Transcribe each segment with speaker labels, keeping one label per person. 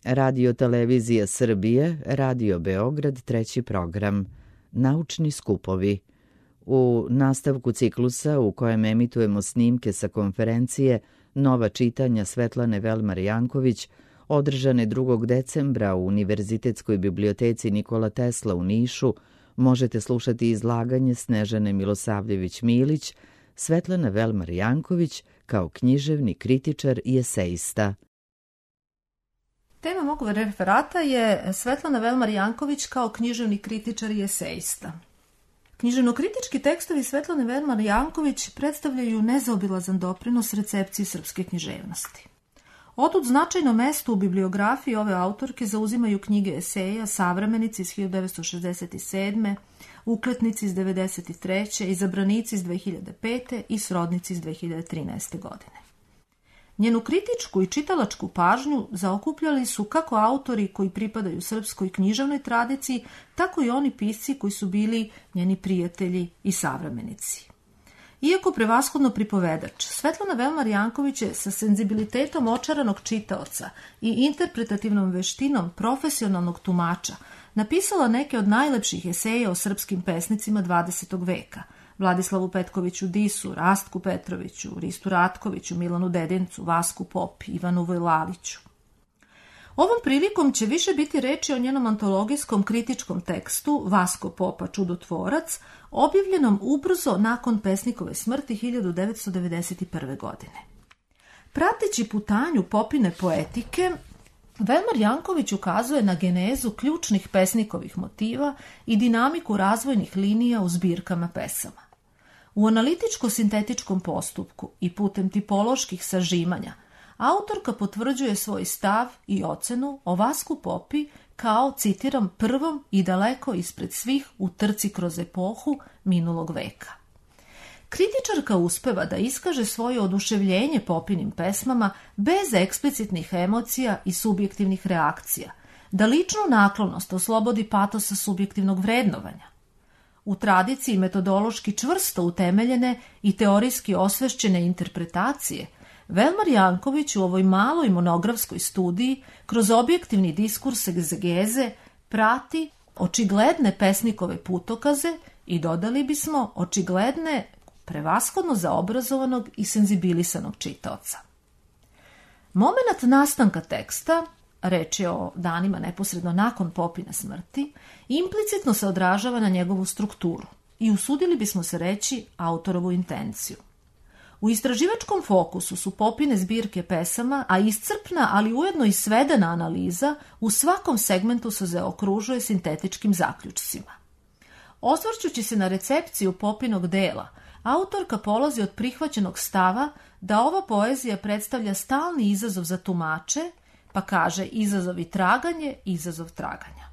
Speaker 1: Radio Televizija Srbije, Radio Beograd, treći program. Naučni skupovi. U nastavku ciklusa u kojem emitujemo snimke sa konferencije Nova čitanja Svetlane Velmar Janković, održane 2. decembra u Univerzitetskoj biblioteci Nikola Tesla u Nišu, možete slušati izlaganje Snežane Milosavljević-Milić, Svetlana Velmar Janković kao književni kritičar i esejista.
Speaker 2: Tema mog referata je Svetlana Velmar Janković kao književni kritičar i esejista. Književno-kritički tekstovi Svetlane Velmar Janković predstavljaju nezaobilazan doprinos recepciji srpske književnosti. Otud značajno mesto u bibliografiji ove autorke zauzimaju knjige eseja Savremenici iz 1967., Ukletnici iz 1993., Izabranici iz 2005. i Srodnici iz 2013. godine. Njenu kritičku i čitalačku pažnju zaokupljali su kako autori koji pripadaju srpskoj književnoj tradiciji, tako i oni pisci koji su bili njeni prijatelji i savremenici. Iako prevashodno pripovedač, Svetlana Velmar Janković je sa senzibilitetom očaranog čitaoca i interpretativnom veštinom profesionalnog tumača napisala neke od najlepših eseja o srpskim pesnicima 20. veka, Vladislavu Petkoviću Disu, Rastku Petroviću, Ristu Ratkoviću, Milanu Dedincu, Vasku Popi, Ivanu Vojlaliću. Ovom prilikom će više biti reči o njenom antologijskom kritičkom tekstu Vasko Popa, čudotvorac, objavljenom ubrzo nakon pesnikove smrti 1991. godine. Prateći putanju Popine poetike, Velmar Janković ukazuje na genezu ključnih pesnikovih motiva i dinamiku razvojnih linija u zbirkama pesama. U analitičko-sintetičkom postupku i putem tipoloških sažimanja autorka potvrđuje svoj stav i ocenu o Vasku Popi kao, citiram, prvom i daleko ispred svih u trci kroz epohu minulog veka. Kritičarka uspeva da iskaže svoje oduševljenje Popinim pesmama bez eksplicitnih emocija i subjektivnih reakcija, da ličnu naklonost oslobodi patosa subjektivnog vrednovanja. U tradiciji metodološki čvrsto utemeljene i teorijski osvešćene interpretacije, Velmar Janković u ovoj maloj monografskoj studiji kroz objektivni diskurs egzegeze prati očigledne pesnikove putokaze i dodali bismo očigledne prevashodno za obrazovanog i senzibilisanog čitaoca. Momenat nastanka teksta, reč je o danima neposredno nakon Popine smrti, implicitno se odražava na njegovu strukturu i usudili bismo se reći autorovu intenciju. U istraživačkom fokusu su Popine zbirke pesama, a iscrpna, ali ujedno i svedena analiza u svakom segmentu se zaokružuje sintetičkim zaključcima. Osvrćući se na recepciju Popinog dela, autorka polazi od prihvaćenog stava da ova poezija predstavlja stalni izazov za tumače, pa kaže izazov i traganje, izazov traganja.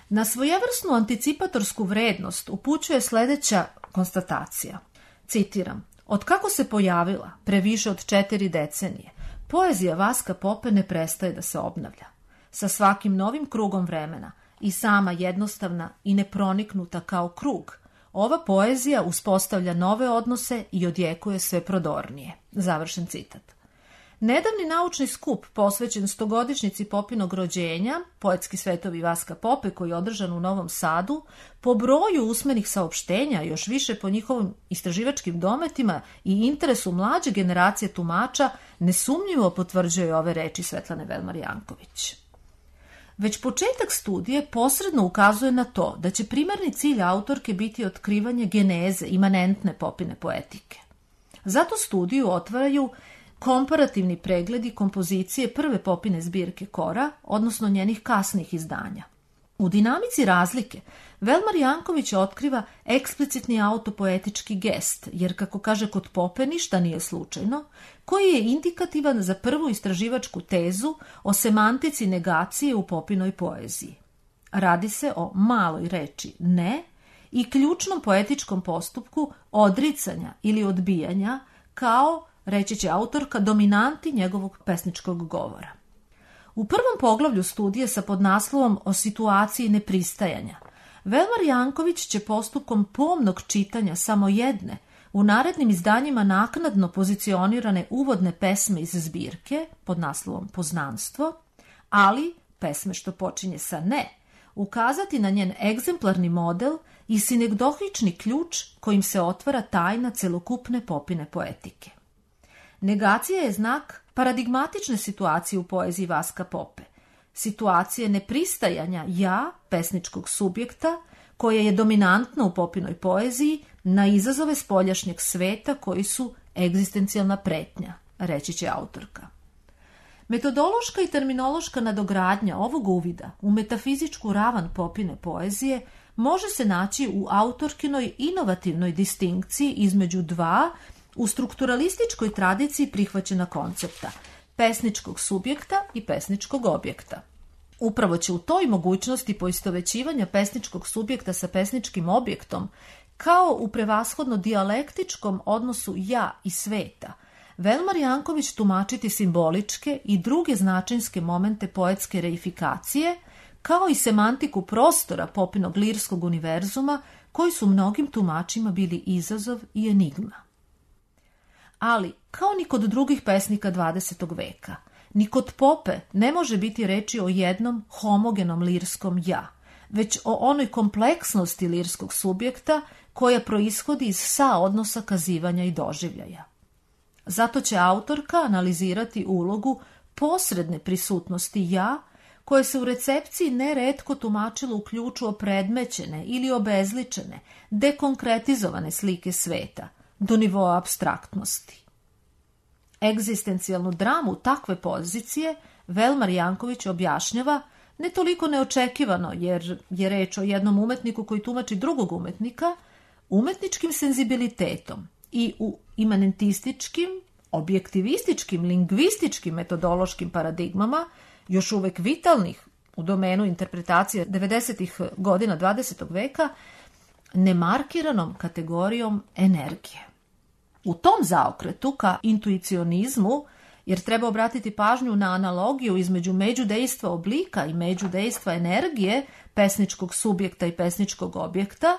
Speaker 2: Na svojevrsnu anticipatorsku vrednost upućuje sljedeća konstatacija. Citiram: od kako se pojavila, pre više od 4 decenije, poezija Vaska Pope ne prestaje da se obnavlja. Sa svakim novim krugom vremena, i sama jednostavna i neproniknuta kao krug, ova poezija uspostavlja nove odnose i odjekuje sve prodornije. Završen citat. Nedavni naučni skup posvećen 100-godišnjici Popinog rođenja, Poetski svetovi Vaska Pope, koji je održan u Novom Sadu, po broju usmenih saopštenja, još više po njihovim istraživačkim dometima i interesu mlađe generacije tumača, nesumnjivo potvrđuje ove reči Svetlane Velmar Janković. Već početak studije posredno ukazuje na to da će primarni cilj autorke biti otkrivanje geneze imanentne Popine poetike. Zato studiju otvaraju komparativni pregledi kompozicije prve Popine zbirke Kora, odnosno njenih kasnih izdanja. U dinamici razlike Velmar Janković otkriva eksplicitni autopoetički gest, jer kako kaže kod Pope ništa nije slučajno, koji je indikativan za prvu istraživačku tezu o semantici negacije u Popinoj poeziji. Radi se o maloj reči ne i ključnom poetičkom postupku odricanja ili odbijanja kao, reći će autorka, dominanti njegovog pesničkog govora. U prvom poglavlju studije sa podnaslovom o situaciji nepristajanja, Velmar Janković će postupkom pomnog čitanja samo jedne, u narednim izdanjima naknadno pozicionirane uvodne pesme iz zbirke pod naslovom Poznanstvo, ali pesme što počinje sa ne, ukazati na njen egzemplarni model i sinegdohični ključ kojim se otvara tajna celokupne Popine poetike. Negacija je znak paradigmatične situacije u poeziji Vaska Pope, situacije nepristajanja ja, pesničkog subjekta, koje je dominantno u Popinoj poeziji, na izazove spoljašnjeg sveta koji su egzistencijalna pretnja, reći će autorka. Metodološka i terminološka nadogradnja ovog uvida u metafizičku ravan Popine poezije može se naći u autorkinoj inovativnoj distinkciji između dva u strukturalističkoj tradiciji prihvaćena koncepta pesničkog subjekta i pesničkog objekta. Upravo će u toj mogućnosti poistovećivanja pesničkog subjekta sa pesničkim objektom, kao u prevashodno dijalektičkom odnosu ja i sveta, Velmar Janković tumačiti simboličke i druge značinske momente poetske reifikacije, kao i semantiku prostora Popinog lirskog univerzuma, koji su mnogim tumačima bili izazov i enigma. Ali, kao ni kod drugih pesnika 20. veka, ni kod Pope ne može biti reči o jednom homogenom lirskom ja, već o onoj kompleksnosti lirskog subjekta koja proishodi iz saodnosa kazivanja i doživljaja. Zato će autorka analizirati ulogu posredne prisutnosti ja, koje se u recepciji neretko tumačilo u ključu opredmećene ili obezličene, dekonkretizovane slike sveta, do nivoa apstraktnosti. Egzistencijalnu dramu takve pozicije Velmar Janković objašnjava ne toliko neočekivano, jer je reč o jednom umetniku koji tumači drugog umetnika, umetničkim senzibilitetom i u imanentističkim, objektivističkim, lingvističkim metodološkim paradigmama, još uvek vitalnih u domenu interpretacije 90. godina 20. veka, nemarkiranom kategorijom energije. U tom zaokretu ka intuicionizmu, jer treba obratiti pažnju na analogiju između međudejstva oblika i međudejstva energije pesničkog subjekta i pesničkog objekta,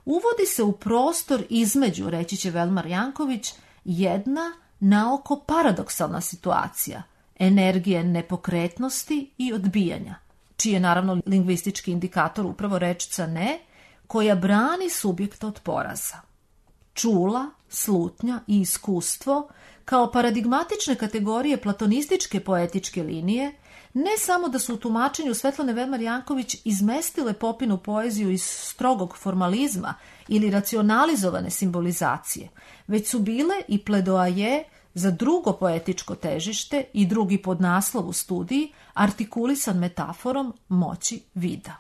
Speaker 2: uvodi se u prostor između, reći će Velmar Janković, jedna naoko paradoksalna situacija, energije nepokretnosti i odbijanja, čiji je naravno lingvistički indikator upravo rečica ne, koja brani subjekta od poraza. Čula, slutnja i iskustvo, kao paradigmatične kategorije platonističke poetičke linije, ne samo da su u tumačenju Svetlane Velmar Janković izmestile Popinu poeziju iz strogog formalizma ili racionalizovane simbolizacije, već su bile i pledoaje za drugo poetičko težište i drugi podnaslov u studiji, artikulisan metaforom moći vida.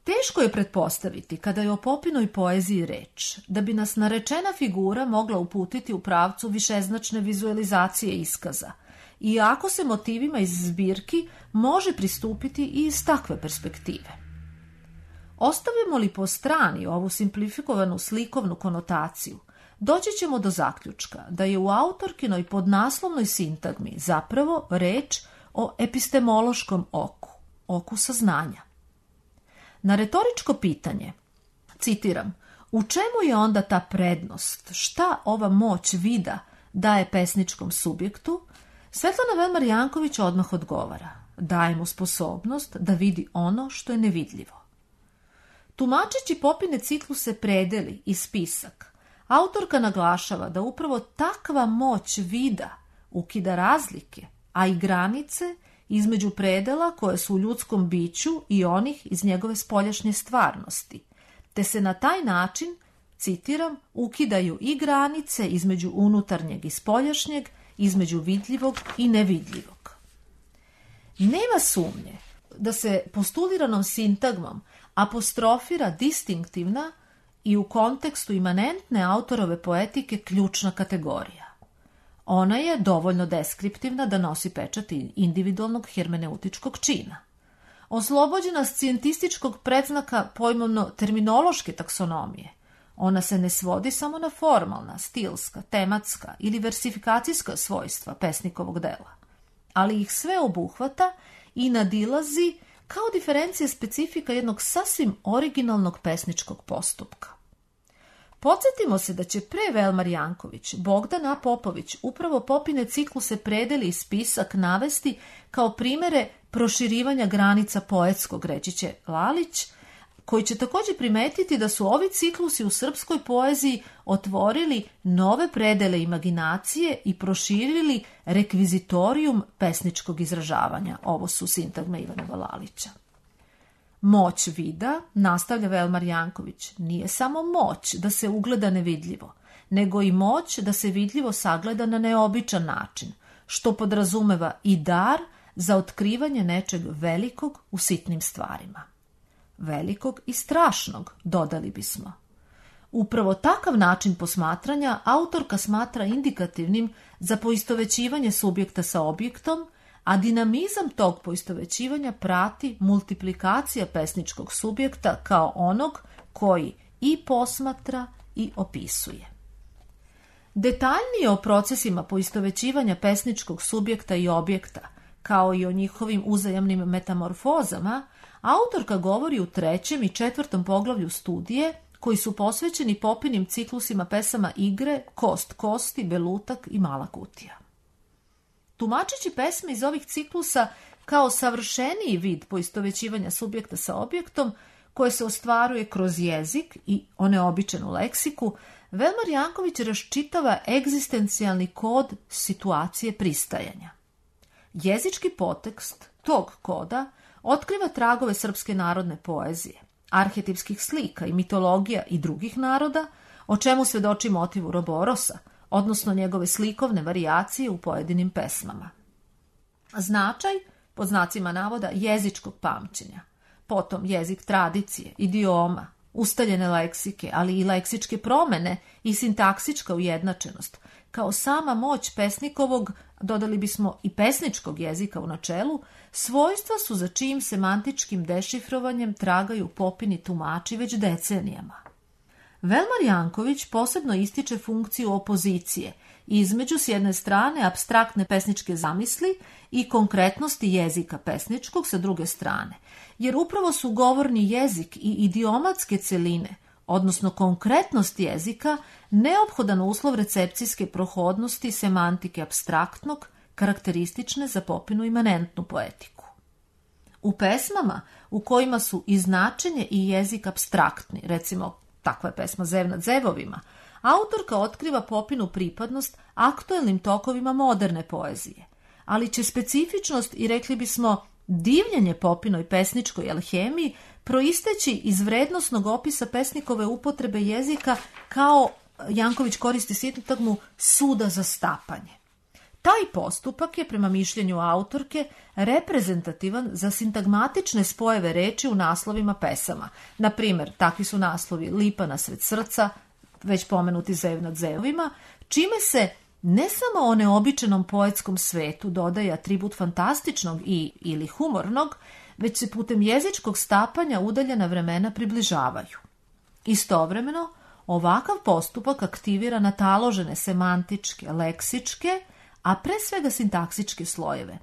Speaker 2: Teško je pretpostaviti, kada je o Popinoj poeziji reč, da bi nas narečena figura mogla uputiti u pravcu višeznačne vizualizacije iskaza, iako se motivima iz zbirki može pristupiti i iz takve perspektive. Ostavimo li po strani ovu simplifikovanu slikovnu konotaciju, doći ćemo do zaključka da je u autorkinoj podnaslovnoj sintagmi zapravo reč o epistemološkom oku, oku saznanja. Na retoričko pitanje, citiram, u čemu je onda ta prednost, šta ova moć vida daje pesničkom subjektu, Svetlana Velmar Janković odmah odgovara, daje mu sposobnost da vidi ono što je nevidljivo. Tumačeći Popine cikluse Predeli i Spisak, autorka naglašava da upravo takva moć vida ukida razlike, a i granice između predela koje su u ljudskom biću i onih iz njegove spoljašnje stvarnosti, te se na taj način, citiram, ukidaju i granice između unutarnjeg i spoljašnjeg, između vidljivog i nevidljivog. Nema sumnje da se postuliranom sintagmom apostrofira distinktivna i u kontekstu imanentne autorove poetike ključna kategorija. Ona je dovoljno deskriptivna da nosi pečat individualnog hermeneutičkog čina. Oslobođena scijentističkog predznaka pojmovno-terminološke taksonomije, ona se ne svodi samo na formalna, stilska, tematska ili versifikacijska svojstva pesnikovog dela, ali ih sve obuhvata i nadilazi kao diferencija specifika jednog sasvim originalnog pesničkog postupka. Podsjetimo se da će pre Velmar Janković Bogdan A. Popović upravo Popine cikluse Predeli i Spisak navesti kao primere proširivanja granica poetskog, reći će Lalić, koji će također primetiti da su ovi ciklusi u srpskoj poeziji otvorili nove predele imaginacije i proširili rekvizitorijum pesničkog izražavanja. Ovo su sintagme Ivanova Lalića. Moć vida, nastavlja Velmar Janković, nije samo moć da se ugleda nevidljivo, nego i moć da se vidljivo sagleda na neobičan način, što podrazumeva i dar za otkrivanje nečeg velikog u sitnim stvarima. Velikog i strašnog, dodali bismo. Upravo takav način posmatranja autorka smatra indikativnim za poistovećivanje subjekta sa objektom, a dinamizam tog poistovećivanja prati multiplikacija pesničkog subjekta kao onog koji i posmatra i opisuje. Detaljnije o procesima poistovećivanja pesničkog subjekta i objekta, kao i o njihovim uzajamnim metamorfozama, autorka govori u 3. i 4. poglavlju studije, koji su posvećeni Popinim ciklusima pesama Igre, Kost kosti, Belutak i Mala kutija. Tumačeći pesme iz ovih ciklusa kao savršeniji vid poistovećivanja subjekta sa objektom, koje se ostvaruje kroz jezik i oneobičenu leksiku, Velmar Janković raščitava egzistencijalni kod situacije pristajanja. Jezički potekst tog koda otkriva tragove srpske narodne poezije, arhetipskih slika i mitologija i drugih naroda, o čemu svedoči motiv Uroborosa, odnosno njegove slikovne varijacije u pojedinim pesmama. Značaj, pod znacima navoda, jezičkog pamćenja, potom jezik tradicije, idioma, ustaljene leksike, ali i leksičke promene i sintaksička ujednačenost, kao sama moć pesnikovog, dodali bismo i pesničkog jezika u načelu, svojstva su za čijim semantičkim dešifrovanjem tragaju Popini tumači već decenijama. Velmar Janković posebno ističe funkciju opozicije između s jedne strane apstraktne pesničke zamisli i konkretnosti jezika pesničkog sa druge strane, jer upravo su govorni jezik i idiomatske celine, odnosno konkretnost jezika, neophodan uslov recepcijske prohodnosti semantike apstraktnog, karakteristične za Popinu imanentnu poetiku. U pesmama u kojima su i značenje i jezik apstraktni, recimo takva je pesma Zev nad zevovima, autorka otkriva Popinu pripadnost aktuelnim tokovima moderne poezije, ali će specifičnost i rekli bismo divljenje Popinoj pesničkoj alhemiji proisteći iz vrednosnog opisa pesnikove upotrebe jezika kao, Janković koristi sintagmu, suda za stapanje. Taj postupak je, prema mišljenju autorke, reprezentativan za sintagmatične spojeve reči u naslovima pesama. Na primjer, takvi su naslovi Lipa nasred srca, već pomenuti Zev nad zevovima, čime se ne samo o neobičanom poetskom svetu dodaje atribut fantastičnog ili humornog, već se putem jezičkog stapanja udaljena vremena približavaju. Istovremeno, ovakav postupak aktivira nataložene semantičke, leksičke, a pre svega sintaksičke slojeve.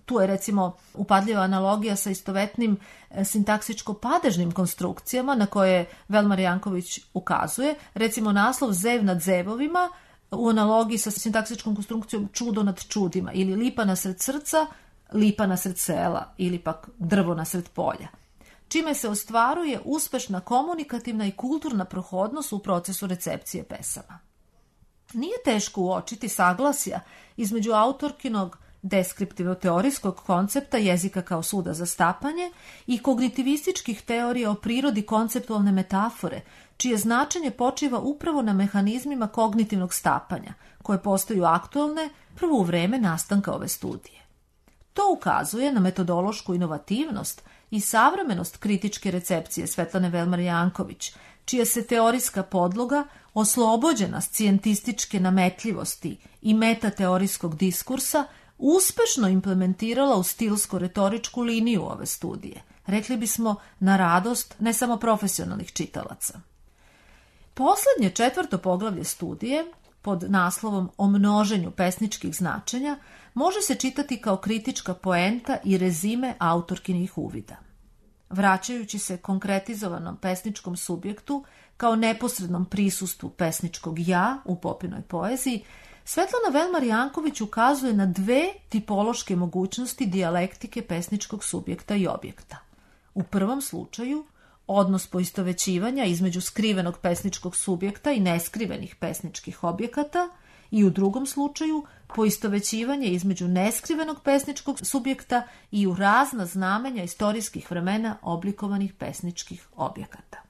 Speaker 2: Tu je recimo upadljiva analogija sa istovetnim sintaksičko-padežnim konstrukcijama na koje Velmar Janković ukazuje. Recimo naslov Zev nad zevovima u analogiji sa sintaksičkom konstrukcijom čudo nad čudima ili lipa nasred srca, lipa nasred sela ili pak drvo nasred polja, čime se ostvaruje uspešna komunikativna i kulturna prohodnost u procesu recepcije pesama. Nije teško uočiti saglasja između autorkinog deskriptivno-teorijskog koncepta jezika kao suda za stapanje i kognitivističkih teorija o prirodi konceptualne metafore, čije značenje počiva upravo na mehanizmima kognitivnog stapanja, koje postaju aktualne prvo u vreme nastanka ove studije. To ukazuje na metodološku inovativnost i savremenost kritičke recepcije Svetlane Velmar Janković, čija se teorijska podloga, oslobođena scijentističke nametljivosti i metateorijskog diskursa, uspešno implementirala u stilsko-retoričku liniju ove studije, rekli bismo na radost ne samo profesionalnih čitalaca. Poslednje 4. poglavlje studije, pod naslovom O množenju pesničkih značenja, može se čitati kao kritička poenta i rezime autorkinih uvida. Vraćajući se konkretizovanom pesničkom subjektu kao neposrednom prisustvu pesničkog ja u Popinoj poeziji, Svetlana Velmar Janković ukazuje na dve tipološke mogućnosti dijalektike pesničkog subjekta i objekta. U prvom slučaju, odnos poistovećivanja između skrivenog pesničkog subjekta i neskrivenih pesničkih objekata, i u drugom slučaju poistovećivanje između neskrivenog pesničkog subjekta i u razna znamenja istorijskih vremena oblikovanih pesničkih objekata.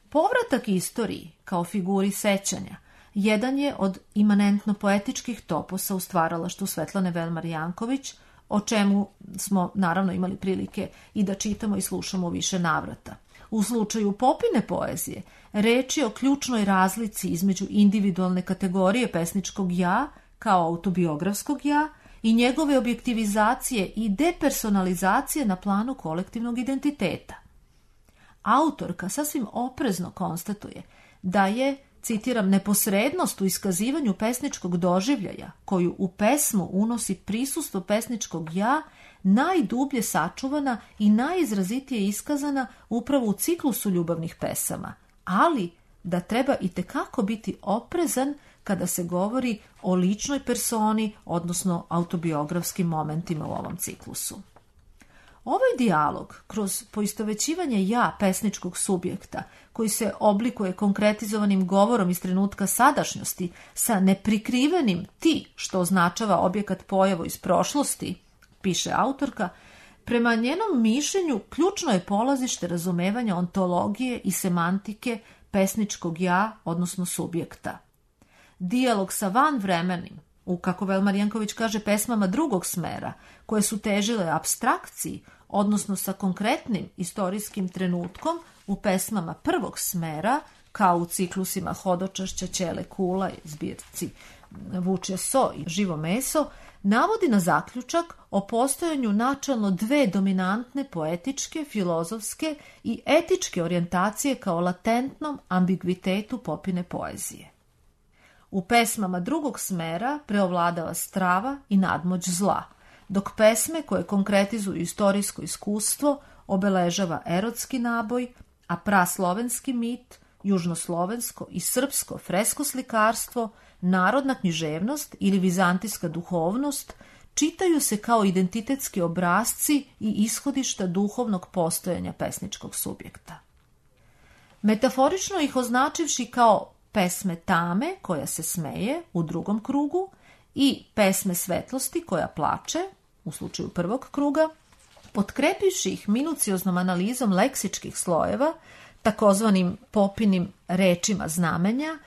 Speaker 2: Povratak istoriji kao figuri sećanja jedan je od imanentno poetičkih toposa u stvaralaštvu Svetlane Velmar Janković, o čemu smo naravno imali prilike i da čitamo i slušamo više navrata. U slučaju Popine poezije, reč je o ključnoj razlici između individualne kategorije pesničkog ja kao autobiografskog ja i njegove objektivizacije i depersonalizacije na planu kolektivnog identiteta. Autorka sasvim oprezno konstatuje da je, citiram, neposrednost u iskazivanju pesničkog doživljaja koju u pesmu unosi prisustvo pesničkog ja najdublje sačuvana i najizrazitije iskazana upravo u ciklusu ljubavnih pesama, ali da treba itekako biti oprezan kada se govori o ličnoj personi, odnosno autobiografskim momentima u ovom ciklusu. Ovaj dijalog kroz poistovećivanje ja pesničkog subjekta, koji se oblikuje konkretizovanim govorom iz trenutka sadašnjosti sa neprikrivenim ti, što označava objekat pojavu iz prošlosti, piše autorka, prema njenom mišljenju ključno je polazište razumevanja ontologije i semantike pesničkog ja, odnosno subjekta. Dijalog sa vanvremenim, u, kako Velmar Janković kaže, pesmama drugog smera, koje su težile apstrakciji, odnosno sa konkretnim istorijskim trenutkom u pesmama prvog smera, kao u ciklusima Hodočašća, Ćele Kula i zbirci Vučje so i Živo meso, navodi na zaključak o postojanju načelno dve dominantne poetičke, filozofske i etičke orijentacije kao latentnom ambigvitetu Popine poezije. U pesmama drugog smera preovladava strava i nadmoć zla, dok pesme koje konkretizuju istorijsko iskustvo obeležava erotski naboj, a praslovenski mit, južnoslovensko i srpsko fresko slikarstvo, narodna književnost ili vizantijska duhovnost čitaju se kao identitetski obrasci i ishodišta duhovnog postojanja pesničkog subjekta. Metaforično ih označivši kao pesme tame koja se smeje u drugom krugu i pesme svetlosti koja plače u slučaju prvog kruga, potkrepivši ih minucioznom analizom leksičkih slojeva, takozvanim Popinim rečima znamenja,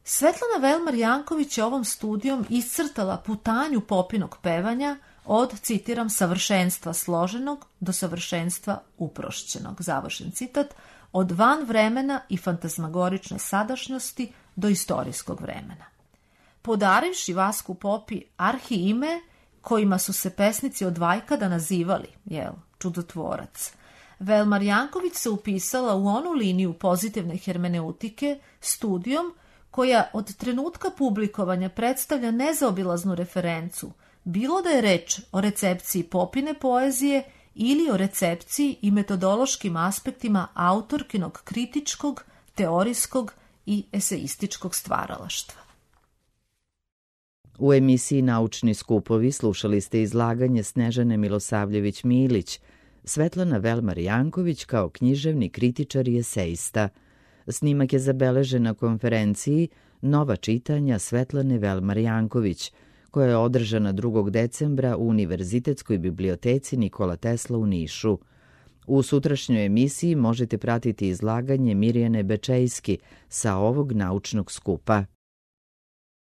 Speaker 2: Svetlana Velmar Janković je ovom studijom iscrtala putanju Popinog pevanja od, citiram, savršenstva složenog do savršenstva uprošćenog, završen citat, od van vremena i fantazmagorične sadašnjosti do istorijskog vremena. Podarivši Vasku Popi arhi ime kojima su se pesnici od vajkada nazivali, čudotvorac, Velmar Janković se upisala u onu liniju pozitivne hermeneutike studijom koja od trenutka publikovanja predstavlja nezaobilaznu referencu, bilo da je reč o recepciji Popine poezije ili o recepciji i metodološkim aspektima autorkinog kritičkog, teorijskog i eseističkog stvaralaštva.
Speaker 1: U emisiji Naučni skupovi slušali ste izlaganje Snežane Milosavljević-Milić, Svetlana Velmar Janković kao književni kritičar i esejista. Snimak je zabeležen na konferenciji Nova čitanja Svetlane Velmar Janković, koja je održana 2. decembra u Univerzitetskoj biblioteci Nikola Tesla u Nišu. U sutrašnjoj emisiji možete pratiti izlaganje Mirjane Bečejski sa ovog naučnog skupa.